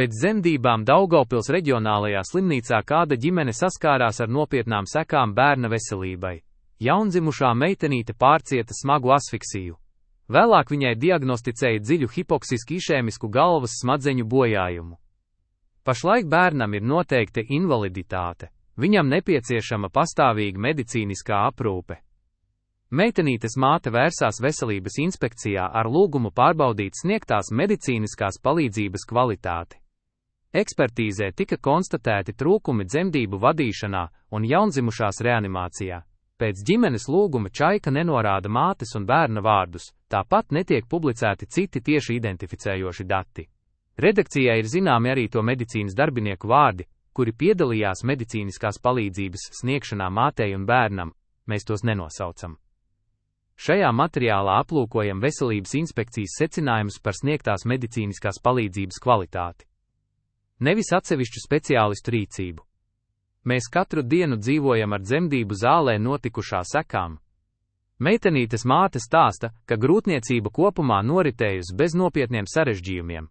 Pēc dzemdībām Daugavpils reģionālajā slimnīcā kāda ģimene saskārās ar nopietnām sekām bērna veselībai. Jaundzimušā meitenīte pārcieta smagu asfiksiju. Vēlāk viņai diagnosticēja dziļu hipoksisku išēmisku galvas smadzeņu bojājumu. Pašlaik bērnam ir noteikta invaliditāte. Viņam nepieciešama pastāvīga medicīniskā aprūpe. Meitenītes māte vērsās veselības inspekcijā ar lūgumu pārbaudīt sniegtās medicīniskās palīdzības kvalitāti. Ekspertīzē tika konstatēti trūkumi dzemdību vadīšanā un jaundzimušās reanimācijā. Pēc ģimenes lūguma Čaika nenorāda mātes un bērna vārdus, tāpat netiek publicēti citi tieši identificējoši dati. Redakcijai ir zināmi arī to medicīnas darbinieku vārdi, kuri piedalījās medicīniskās palīdzības sniegšanā mātei un bērnam, mēs tos nenosaucam. Šajā materiālā aplūkojam veselības inspekcijas secinājumus par sniegtās medicīniskās palīdzības kvalitāti. Nevis atsevišķu speciālistu rīcību. Mēs katru dienu dzīvojam ar dzemdību zālē notikušā sekām. Meitenītes māte stāsta, ka grūtniecība kopumā noritējusi bez nopietniem sarežģījumiem.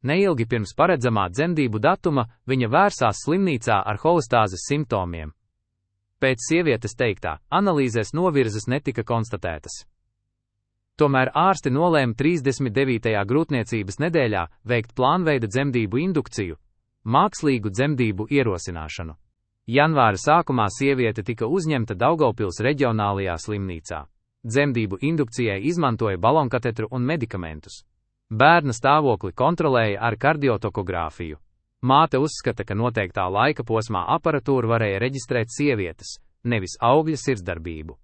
Neilgi pirms paredzamā dzemdību datuma viņa vērsās slimnīcā ar holestāzes simptomiem. Pēc sievietes teiktā, analīzēs novirzes netika konstatētas. Tomēr ārsti nolēma 39. grūtniecības nedēļā veikt plānveida dzemdību indukciju, mākslīgu dzemdību ierosināšanu. Janvāra sākumā sieviete tika uzņemta Daugavpils reģionālajā slimnīcā. Dzemdību indukcijai izmantoja balonkatetru un medikamentus. Bērna stāvokli kontrolēja ar kardiotokogrāfiju. Māte uzskata, ka noteiktā laika posmā aparatūra varēja reģistrēt sievietes, nevis augļa sirdsdarbību.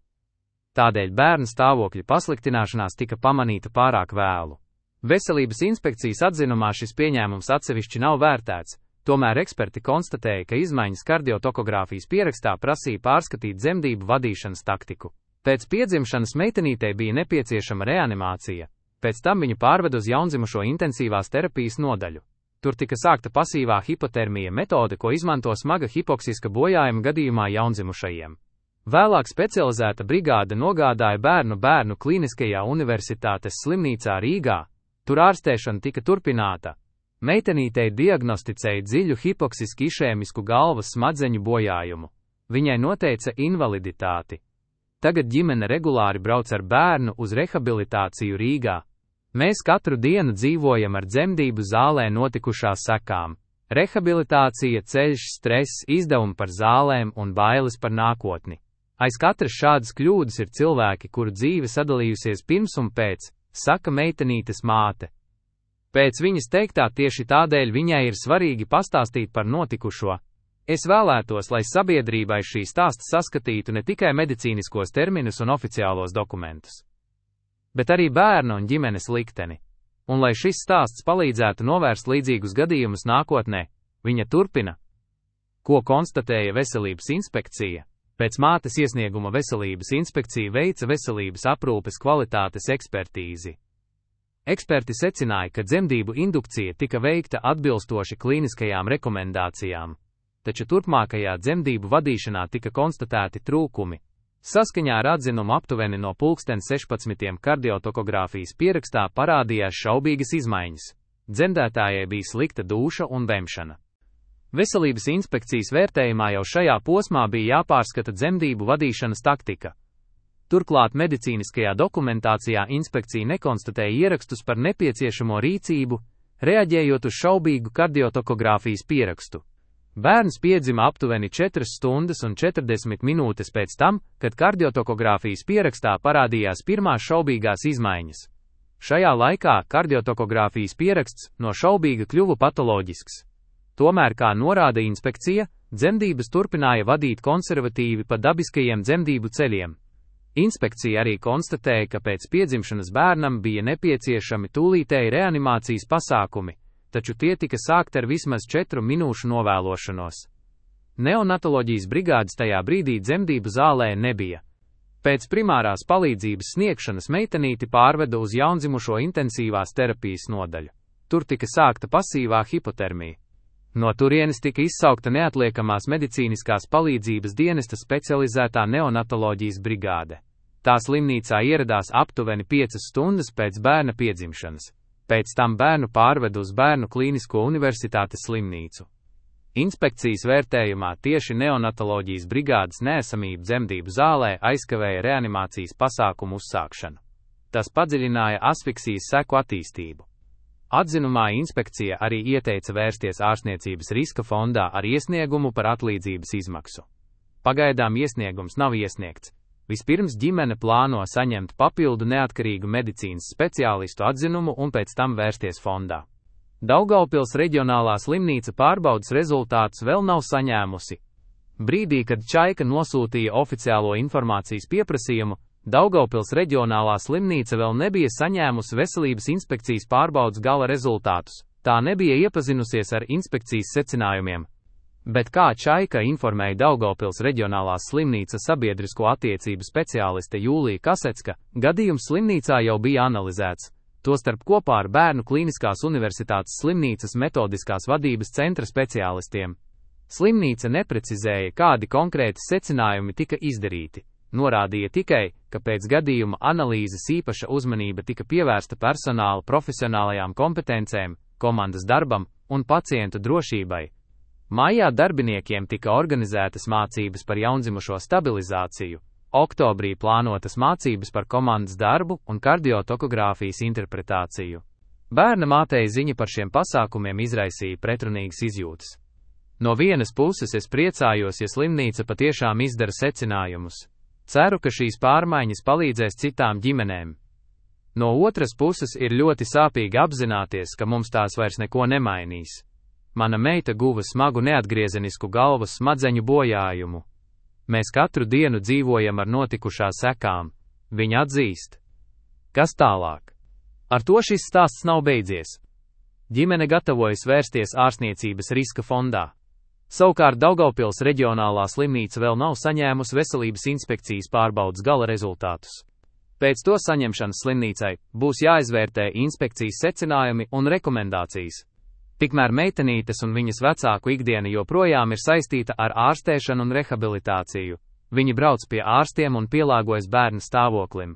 Tādēļ bērna stāvokļa pasliktināšanās tika pamanīta pārāk vēlu. Veselības inspekcijas atzinumā šis pieņēmums atsevišķi nav vērtēts, tomēr eksperti konstatēja, ka izmaiņas kardiotokogrāfijas pierakstā prasīja pārskatīt dzemdību vadīšanas taktiku. Pēc piedzimšanas meitenītei bija nepieciešama reanimācija, pēc tam viņu pārved uz jaundzimušo intensīvās terapijas nodaļu. Tur tika sākta pasīvā hipotermija metode, ko izmanto smaga hipoksiska bojājuma gadījumā jaundzimušajiem. Vēlāk specializēta brigāde nogādāja bērnu Kliniskajā universitātes slimnīcā Rīgā. Tur ārstēšana tika turpināta. Meitenītei diagnosticēja dziļu hipoksisku išēmisku galvas smadzeņu bojājumu. Viņai noteica invaliditāti. Tagad ģimene regulāri brauc ar bērnu uz rehabilitāciju Rīgā. Mēs katru dienu dzīvojam ar dzemdību zālē notikušās sekām. Rehabilitācija, ceļš, stress, izdevumi par zālēm un bailes par nākotni. Aiz katras šādas kļūdas ir cilvēki, kuru dzīve sadalījusies pirms un pēc, saka meitenītes māte. Pēc viņas teiktā tieši tādēļ viņai ir svarīgi pastāstīt par notikušo. Es vēlētos, lai sabiedrībai šī stāsta saskatītu ne tikai medicīniskos terminus un oficiālos dokumentus, bet arī bērnu un ģimenes likteni. Un lai šis stāsts palīdzētu novērst līdzīgus gadījumus nākotnē, viņa turpina. Ko konstatēja veselības inspekcija? Pēc mātes iesnieguma veselības inspekcija veica veselības aprūpes kvalitātes ekspertīzi. Eksperti secināja, ka dzemdību indukcija tika veikta atbilstoši klīniskajām rekomendācijām, taču turpmākajā dzemdību vadīšanā tika konstatēti trūkumi. Saskaņā ar atzinumu aptuveni no 16:00 kardiotokogrāfijas pierakstā parādījās šaubīgas izmaiņas. Dzemdētājai bija slikta dūša un vemšana. Veselības inspekcijas vērtējumā jau šajā posmā bija jāpārskata dzemdību vadīšanas taktika. Turklāt medicīniskajā dokumentācijā inspekcija nekonstatēja ierakstus par nepieciešamo rīcību, reaģējot uz šaubīgu kardiotokogrāfijas pierakstu. Bērns piedzima aptuveni 4 stundas un 40 minūtes pēc tam, kad kardiotokogrāfijas pierakstā parādījās pirmās šaubīgās izmaiņas. Šajā laikā kardiotokogrāfijas pieraksts no šaubīga kļuva patoloģisks. Tomēr, kā norāda inspekcija, dzemdības turpināja vadīt konservatīvi pa dabiskajiem dzemdību ceļiem. Inspekcija arī konstatēja, ka pēc piedzimšanas bērnam bija nepieciešami tūlītēji reanimācijas pasākumi, taču tie tika sākti ar vismaz 4 minūšu novēlošanos. Neonatoloģijas brigādes tajā brīdī dzemdību zālē nebija. Pēc primārās palīdzības sniegšanas meitenīti pārveda uz jaundzimušo intensīvās terapijas nodaļu. Tur tika sākta pasīvā hipotermija. No turienes tika izsaukta neatliekamās medicīniskās palīdzības dienesta specializētā neonatoloģijas brigāde. Tā slimnīcā ieradās aptuveni 5 stundas pēc bērna piedzimšanas. Pēc tam bērnu pārved uz Bērnu Klīnisko universitātes slimnīcu. Inspekcijas vērtējumā tieši neonatoloģijas brigādes neesamība dzemdību zālē aizkavēja reanimācijas pasākumu uzsākšanu. Tas padziļināja asfiksijas seku attīstību. Atzinumā inspekcija arī ieteica vērsties ārstniecības riska fondā ar iesniegumu par atlīdzības izmaksu. Pagaidām iesniegums nav iesniegts. Vispirms ģimene plāno saņemt papildu neatkarīgu medicīnas speciālistu atzinumu un pēc tam vērsties fondā. Daugavpils reģionālā slimnīca pārbaudes rezultātus vēl nav saņēmusi. Brīdī, kad Čaika nosūtīja oficiālo informācijas pieprasījumu, Daugavpils reģionālā slimnīca vēl nebija saņēmusi veselības inspekcijas pārbaudes gala rezultātus, tā nebija iepazinusies ar inspekcijas secinājumiem. Bet kā Čaika informēja Daugavpils reģionālās slimnīcas sabiedrisko attiecību speciāliste Jūlija Kasecka, gadījums slimnīcā jau bija analizēts, tostarp kopā ar Bērnu Klīniskās universitātes slimnīcas metodiskās vadības centra speciālistiem. Slimnīca neprecizēja, kādi konkrēti secinājumi tika izdarīti. Norādīja tikai, ka pēc gadījuma analīzes īpaša uzmanība tika pievērsta personāla profesionālajām kompetencēm, komandas darbam un pacientu drošībai. Maijā darbiniekiem tika organizētas mācības par jaundzimušo stabilizāciju, oktobrī plānotas mācības par komandas darbu un kardiotokogrāfijas interpretāciju. Bērna mātei ziņa par šiem pasākumiem izraisīja pretrunīgas izjūtas. No vienas puses es priecājos, ja slimnīca patiešām izdara secinājumus. Ceru, ka šīs pārmaiņas palīdzēs citām ģimenēm. No otras puses ir ļoti sāpīgi apzināties, ka mums tās vairs neko nemainīs. Mana meita guva smagu neatgriezenisku galvas smadzeņu bojājumu. Mēs katru dienu dzīvojam ar notikušā sekām, viņa atzīst. Kas tālāk? Ar to šis stāsts nav beidzies. Ģimene gatavojas vērsties ārstniecības riska fondā. Savukārt Daugavpils reģionālā slimnīca vēl nav saņēmusi veselības inspekcijas pārbaudes gala rezultātus. Pēc to saņemšanas slimnīcai būs jāizvērtē inspekcijas secinājumi un rekomendācijas. Tikmēr meitenītes un viņas vecāku ikdiena joprojām ir saistīta ar ārstēšanu un rehabilitāciju. Viņi brauc pie ārstiem un pielāgojas bērna stāvoklim.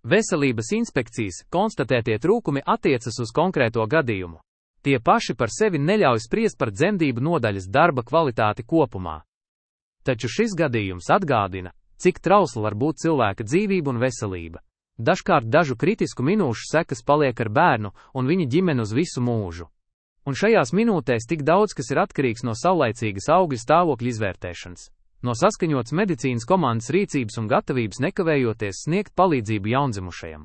Veselības inspekcijas konstatētie trūkumi attiecas uz konkrēto gadījumu. Tie paši par sevi neļauj spriest par dzemdību nodaļas darba kvalitāti kopumā. Taču šis gadījums atgādina, cik trausla var būt cilvēka dzīvība un veselība. Dažkārt dažu kritisku minūšu sekas paliek ar bērnu un viņa ģimeni uz visu mūžu. Un šajās minūtēs tik daudz, kas ir atkarīgs no saulaicīgas augļa stāvokļa izvērtēšanas, no saskaņotas medicīnas komandas rīcības un gatavības nekavējoties sniegt palīdzību jaundzimušajam.